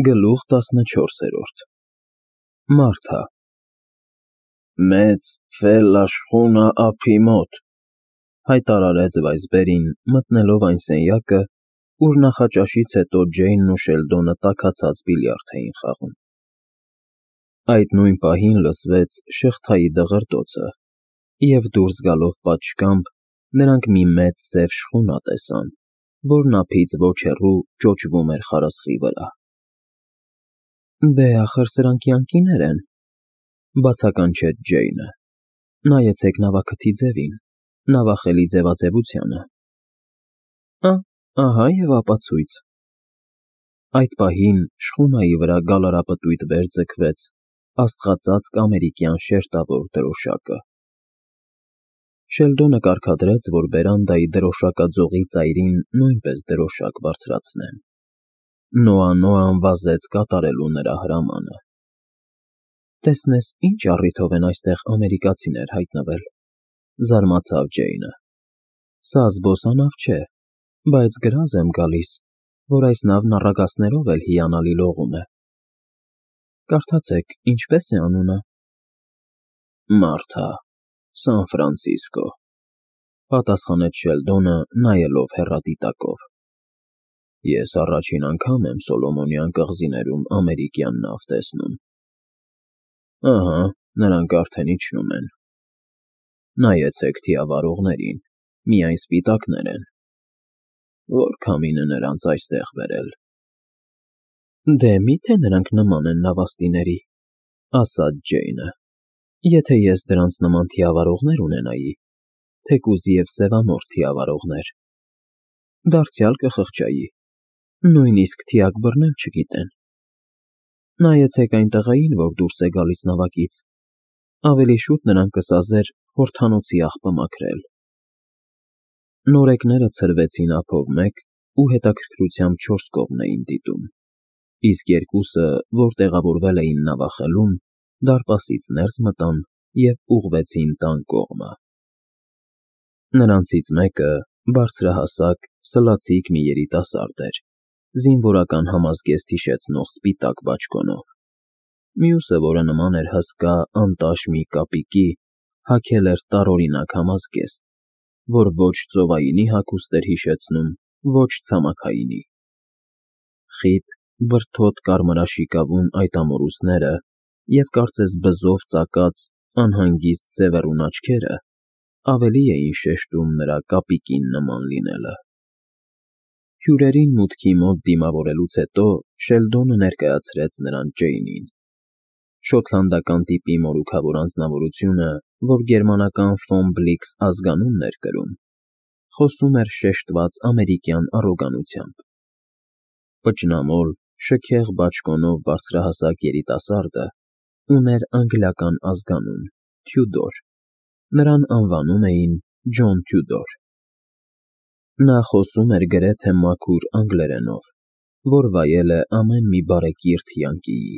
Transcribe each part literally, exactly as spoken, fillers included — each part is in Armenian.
Գլուխ տասնչորսերորդ Մարթա Մեծ ֆելլաշխունա ափի մոտ, հայտարարեց Վայսբերին, մտնելով այն սենյակը, ուր նախաճաշից հետո Ջեյնն ու Շելդոնը տաքացած բիլիարդ էին խաղում։ Այդ նույն պահին լսվեց շղթայի դղրդոցը, և դուրս գալով պատշգամբ նրանք մի մեծ սև շխունա տեսան, որն ափից ոչ հեռու ճոճվում էր խարսխի վրա։ Դե, ախր սրանք յանկիներ են,֊ բացականչեց Ջեյնը։ Նայեցեք նավաքթի ձևին, նավախելի ձևաձևությանը։ Ահա և ապացույց։ Այդ պահին շխունայի վրա գալարապտույտ վեր ձգվեց աստղածածկ ամերիկյան շերտավոր դրոշակը։ Շելդոնը կարգադրեց, որ բերանդայի դրոշակաձողի ծայրին նույնպես դրոշակ բարձրացնեն։ Նոա֊Նոան վազեց կատարելու նրա հրամանը։ Տեսնես ինչ առիթով են այստեղ ամերիկացիներ հայտնվել,֊ զարմացավ Ջեյնը։ Սա զբոսանավ չէ, բայց գրազ եմ գալիս, որ այս նավն առագաստներով էլ հիանալի լողում է։ Կարդացեք, ինչպե՞ս է անունը։ Մարթա, Սան Ֆրանցիսկո,֊ պատասխանեց Շելդոնը, նայելով հեռադիտակով։ Ես առաջին անգամ եմ Սոլոմոնյան կղզիներում ամերիկյան նավ տեսնում։ Ահա, նրանք արդեն իջնում են։ Նայեցեք թիավարողներին, միայն սպիտակներ են։ Որ քամին է նրանց այստեղ բերել։ Դե մի՞թե նրանք նման են նավաստիների,֊ ասաց Ջեյնը։ Եթե ես դրանց նման թիավարողներ ունենայի, թեկուզ և սևամորթ թիավարողներ, դարձյալ կխղճայի, նույնիսկ թիակ բռնել չգիտեն։ Նայեցեք այն տղային, որ դուրս է գալիս նավակից, ավելի շուտ նրան կսազեր հորդանոցի աղբը մաքրել։ Նորեկները ցրվեցին ափով մեկ ու հետաքրքրությամբ չորս կողմ էին դիտում, իսկ երկուսը, որ տեղավորվել էին նավախելում, դարպասից ներս մտան և ուղղվեցին տան կողմը։ Նրանցից մեկը բարձրահասակ, սլացիկ մի երիտասարդ էր, զինվորական համազգեստ հիշեցնող սպիտակ բաճկոնով։ Մյուսը, որը նման էր հսկա, անտաշ մի կապիկի, հագել էր տարօրինակ համազգեստ, որ ոչ ծովայինի հագուստ էր հիշեցնում, ոչ ցամաքայինի։ Խիտ, բրդոտ կարմրաշիկավուն այդ ամորուսները և կարծես բզով ծակած անհանգիստ սևեռուն աչքերը ավելի էին շեշտում նրա կապիկին նման լինելը։ Հյուրերին մուտքի մոտ դիմավորելուց հետո Շելդոնը ներկայացրեց նրան Ջեյնին։ Շոտլանդական տիպի մորուքավոր անձնավորությունը, որ գերմանական ֆոն Բլիքս ազգանունն էր կրում, խոսում էր շեշտված ամերիկյան առոգանությամբ։ Պճնամոլ, շքեղ բաճկոնով բարձրահասակ երիտասարդը ուներ անգլիական ազգանուն՝ Թյուդոր, նրան անվանում էին Ջոն Թյուդոր։ Նա խոսում էր գրեթե մաքուր անգլերենով, որ վայել է ամեն մի բարեկիրթ յանկիի,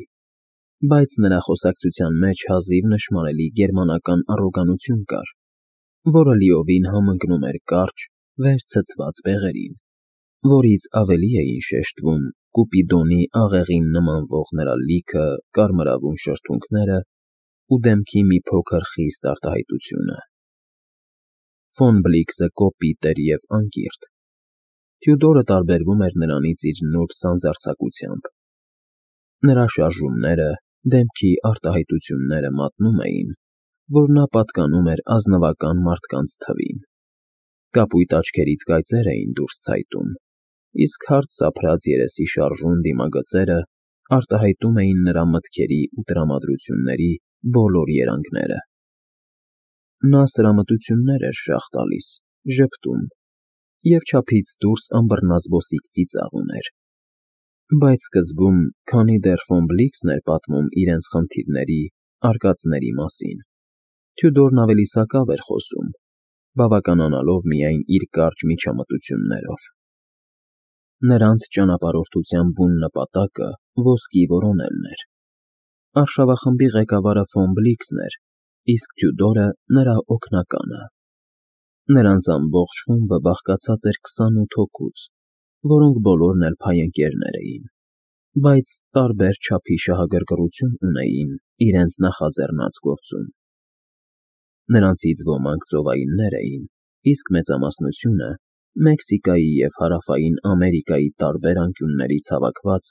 բայց նրա խոսակցության մեջ հազիվ նշմարելի գերմանական առոգանություն կար, որը լիովին համընկնում էր կարճ, վեր ցցված բեղերին, որից ավելի էին շեշտվում Կուպիդոնի աղեղին նմանվող նրա լիքը կարմրավուն շրթունքները ու դեմքի մի փոքր խիստ արտահայտությունը։ Ֆոն Բլիքսը կոպիտ էր և անկիրք։ Թյուդորը տարբերվում էր նրանից իր նուրբ սանձարձակությամբ։ Նրա շարժումները, դեմքի արտահայտությունները մատնում էին, որ նա պատկանում էր ազնվական մարդկանց թվին։ Կապույտ աչքերից կայծեր էին դուրս ցայտում, իսկ հարթ սափրած երեսի շարժուն դիմագծերը արտահայտում էին նրա մտքերի ու տրամադրությունների բոլոր երանգները։ Նա սրամտություններ էր շաղ տալիս, ժպտում և չափից դուրս անբռնազբոսիկ ծիծաղ ուներ։ Բայց սկզբում, քանի դեռ ֆոն Բլիքսն էր պատմում իրենց խնդիրների, արկածների մասին, Թյուդորն ավելի սակավ էր խոսում, բավականանալով միայն իր կարճ միջամտություններով։ Նրանց ճանապարհորդության բուն նպատակը ոսկի որոնելն էր։ Արշավախմբի ղեկավարը ֆոն Բլիքսն էր, իսկ Թյուդորը նրա օգնականը։ Նրանց ամբողջ խումբը բաղկացած էր քսանութ հոգուց, որոնք բոլորն էլ փայընկերներ էին։ բայց տարբեր չափի շահագրգռություն ունեին իրենց նախաձեռնած գործում. նրանցից ոմանք ծովայիններ էին, իսկ մեծամասնությունը Մեքսիկայի և Հարավային Ամերիկայի տարբեր անկյուններից հավաքված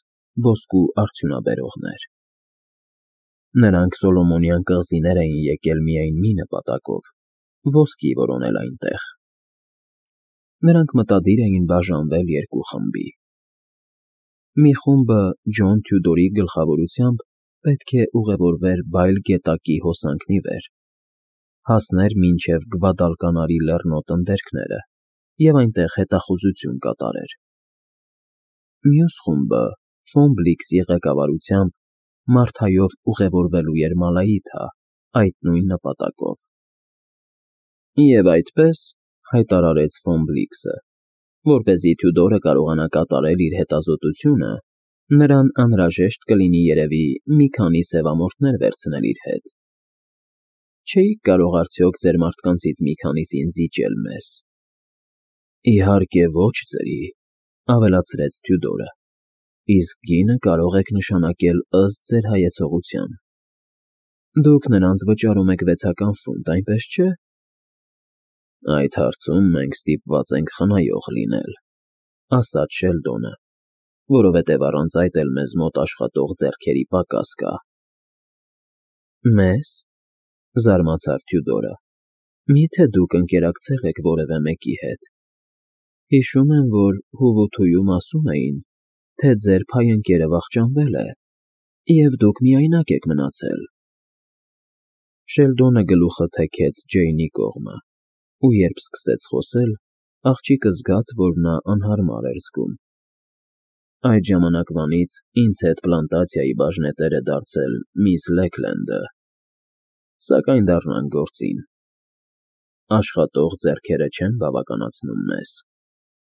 ոսկու արդյունաբերողներ։ Նրանք Սոլոմոնյան կղզիներ էին եկել միայն մի նպատակով՝ ոսկի որոնել այնտեղ։ Նրանք մտադիր էին բաժանվել երկու խմբի։ Մի խումբը Ջոն Թյուդորի գլխավորությամբ պետք է ուղևորվեր Բայլ գետակի հոսանքն ի վեր, հասներ մինչև Գվադալկանարի լեռնոտ ընդերքները և այնտեղ հետախուզություն կատարեր։ Մյուս խումբը Ֆոմբլիքսի ղեկավարությամբ Մարթայով ուղևորվելու էր Մալայիթա այդ նույն նպատակով։ Եվ այդպես, հայտարարեց Ֆոմբլիքսը, որպեսզի Թյուդորը կարողանա կատարել իր հետազոտությունը, նրան անհրաժեշտ կլինի երևի մի քանի սևամորթներ վերցնել իր հետ։ Չէիք կարող արդյոք ձեր մարդկանցից մի քանիսին զիջել մեզ։ Իհարկե ոչ, ձրի, ավելացրեց Թյուդորը, իսկ գինը կարող եք նշանակել ըստ ձեր հայեցողության։ Դուք նրանց վճարում եք վեցական ֆունտ, այնպես չէ՞։ Այդ հարցում մենք ստիպված ենք խնայող լինել, ասաց Շելդոնը, որովհետև առանց այդ էլ մեզ մոտ աշխատող ձեռքերի պակաս կա։ Մեզ, զարմացավ Թյուդորը, մի՞թե դուք ընկերակցել եք որևէ մեկի հետ։ Հիշում եմ, որ Հուվութույում ասում էին, թե ձեր փայընկերը վախճանվել է, և դուք միայնակ եք մնացել։ Շելդոնը գլուխը թեքեց Ջեյնի կողմը, ու երբ սկսեց խոսել, աղջիկը զգաց, որ նա անհարմար էր զգում։ Այդ ժամանակվանից ինձ հետ պլանտացիայի բաժնետեր է դարձել միս Լեքլենդը։ Սակայն դառնանք գործին։ Աշխատող ձեռքերը չեն բավականացնում մեզ։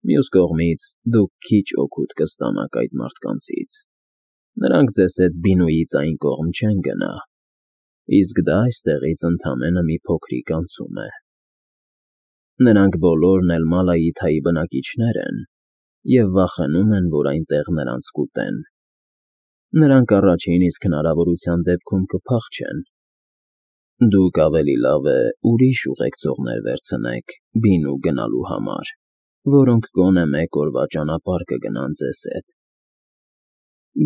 Մյուս կողմից, դուք քիչ օգուտ կստանաք այդ մարդկանցից։ Նրանք ձեզ հետ Բինուից այն կողմ չեն գնա, իսկ դա այստեղից ընդամենը մի փոքրիկ անցում է։ Նրանք բոլորն էլ Մալայիթայի բնակիչներ են և վախենում են, որ այնտեղ նրանց կուտեն։ Նրանք առաջին իսկ հնարավորության դեպքում կփախչեն։ Դուք ավելի լավ է ուրիշ ուղեկցողներ վերցնեք Բինու գնալու համար, որոնք գոնե մեկ օրվա ճանապարհ կգնան ձեզ հետ։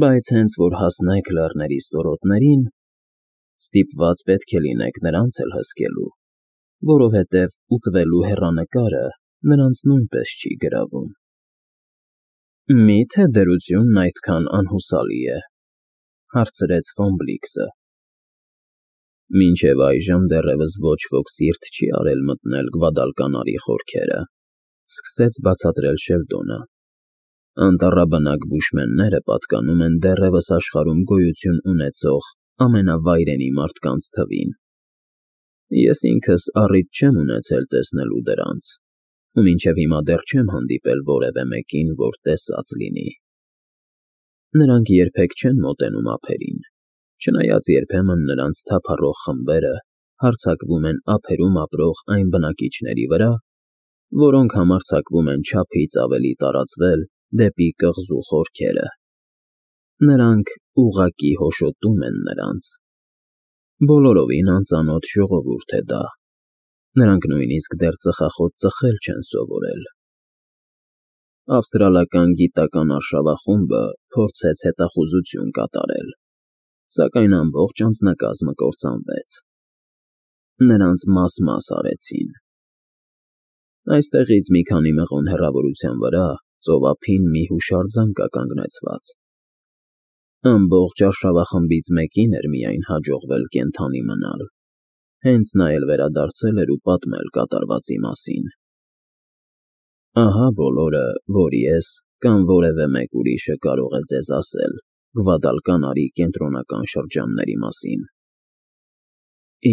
Բայց հենց որ հասնեք լեռների ստորոտներին, ստիպված պետք է լինեք նրանց էլ հսկելու, որովհետև ուտվելու հեռանկարը նրանց նույնպես չի գրավում։ Մի՞թե դրությունն այդքան անհուսալի է, հարցրեց Ֆոմբլիքսը։ Մինչև այժմ դեռևս ոչ ոք սիրտ չի արել մտնել Գվադալկանարի խորքերը, սկսեց բացատրել Շելդոնը։ Անտառաբնակ բուշմենները պատկանում են դեռևս աշխարհում գոյություն ունեցող ամենավայրենի մարդկանց թվին։ Ես ինքս առիթ չեմ ունեցել տեսնելու դրանց, ու մինչև հիմա դեռ չեմ հանդիպել որևէ մեկին, որ տեսած լինի։ Նրանք երբեք չեն մոտենում ափերին, չնայած երբեմն նրանց թափառող խմբերը հարձակվում են ափերում ապրող այն բնակիչների վրա, որոնք համարձակվում են չափից ավելի տարածվել դեպի կղզու խորքերը։ Նրանք ուղղակի հոշոտում են նրանց։ Բոլորովին անծանոթ ժողովուրդ է դա։ Նրանք նույնիսկ դեռ ծխախոտ ծխել չեն սովորել։ Ավստրալական գիտական արշավախումբը փորձեց հետախուզություն կատարել, սակայն ամբողջ անձնակազմը կործանվեց։ Նրանց մաս֊մաս արեցին։ Այստեղից մի քանի մղոն հեռավորության վրա ծովափին մի հուշարձան կա կանգնեցված։ Ամբողջ արշավախմբից մեկին էր միայն հաջողվել կենդանի մնալ, հենց նա էլ վերադարձել էր ու պատմել կատարվածի մասին։ Ահա բոլորը, որ ես կամ որևէ մեկ ուրիշը կարող է ձեզ ասել Գվադալկանարի կենտրոնական շրջանների մասին։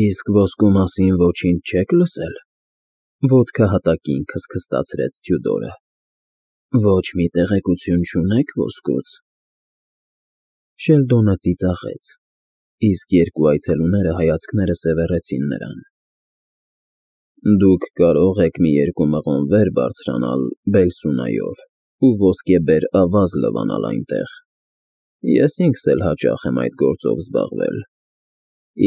Իսկ ոսկու մասին ոչինչ չեք լսել, ոտքը հատակին քստքստացրեց Թյուդորը։ Ոչ մի տեղեկություն չունեք ոսկուց։ Շելդոնը ծիծաղեց, իսկ երկու այցելուները հայացքները սևեռեցին նրան։ Դուք կարող եք մի երկու մղոն վեր բարձրանալ Բելսունայով ու ոսկեբեր ավազ լվանալ այնտեղ, Ես ինքս էլ հաճախ եմ այդ գործով զբաղվել,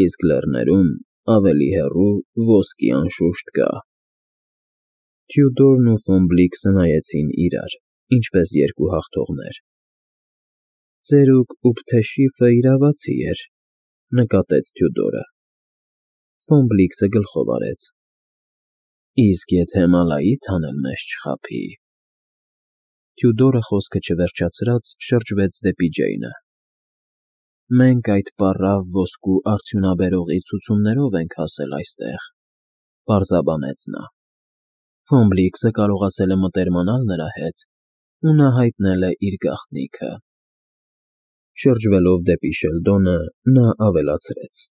իսկ լեռներում ավելի հեռու ոսկի անշուշտ կա։ Թյուդորն ու Ֆոմբլիքսը նայեցին իրար, ինչպես երկու հաղթողներ։ Ծերուկ Ուփթեշիֆը իրավացի էր, նկատեց Թյուդորը։ Ֆոմբլիքսը գլխով արեց։ Իսկ եթե Մալայիթան էլ մեզ չխաբի… Թյուդորը խոսքը չվերջացրած շրջվեց դեպի Ջեյնը։ Մենք այդ պառավ ոսկու արդյունաբերողի ցուցումներով ենք հասել այստեղ, պարզաբանեց նա։ Ֆոմբլիքսը կարողացել է մտերմանալ նրա հետ ու նա հայտնել է իր գաղտնիքը։ Շրջվելով դեպի Շելդոնը, նա ավելացրեց.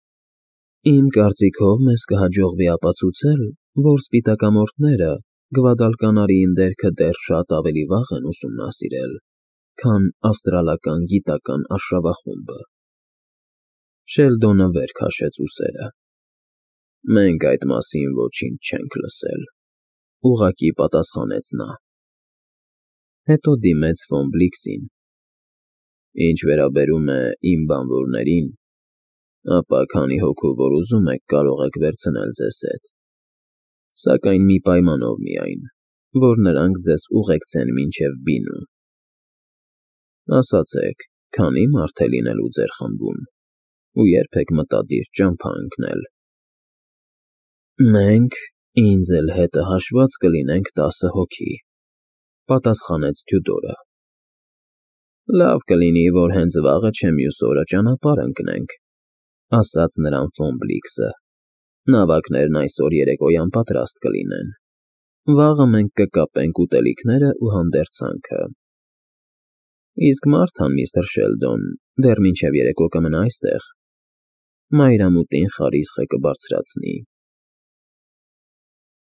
Իմ կարծիքով մեզ կհաջողվի ապացուցել, որ սպիտակամորթները Գվադալկանարիին դերքը դեռ շատ ավելի վաղ են ուսումնասիրել, քան ավստրալական գիտական արշավախումբը։ Շելդոնը վեր քաշեց ուսերը։ Մենք այդ մասին ոչինչ չենք լսել, ուղղակի պատասխանեց նա։ Հետո դիմեց Ֆոմբլիքսին. Ինչ վերաբերում է իմ բանվորներին, ապա քանի հոգու որ ուզում եք, կարող եք վերցնել ձեզ հետ, սակայն մի պայմանով միայն, որ նրանք ձեզ ուղեկցեն մինչև Բինու։ Ասացեք, քանի՞ մարդ է լինելու ձեր խմբում ու երբ եք մտադիր ճամփա ընկնել։ Մենք, ինձ էլ հետը հաշված, կլինենք տասը հոգի, պատասխանեց Թյուդորը։ Լավ կլինի, որ հենց վաղը չէ մյուս օրը ճանապարհ ընկնենք, ասաց նրան Ֆոմբլիքսը։ Նավակներն այսօր երեկոյան պատրաստ կլինեն։ Վաղը մենք կկապենք ուտելիքներն ու հանդերձանքը։ Իսկ Մարթան, միստր Շելդոն, դեռ մինչև երեկո կմնա այստեղ։ Մայրամուտին խարիսխը կբարձրացնի։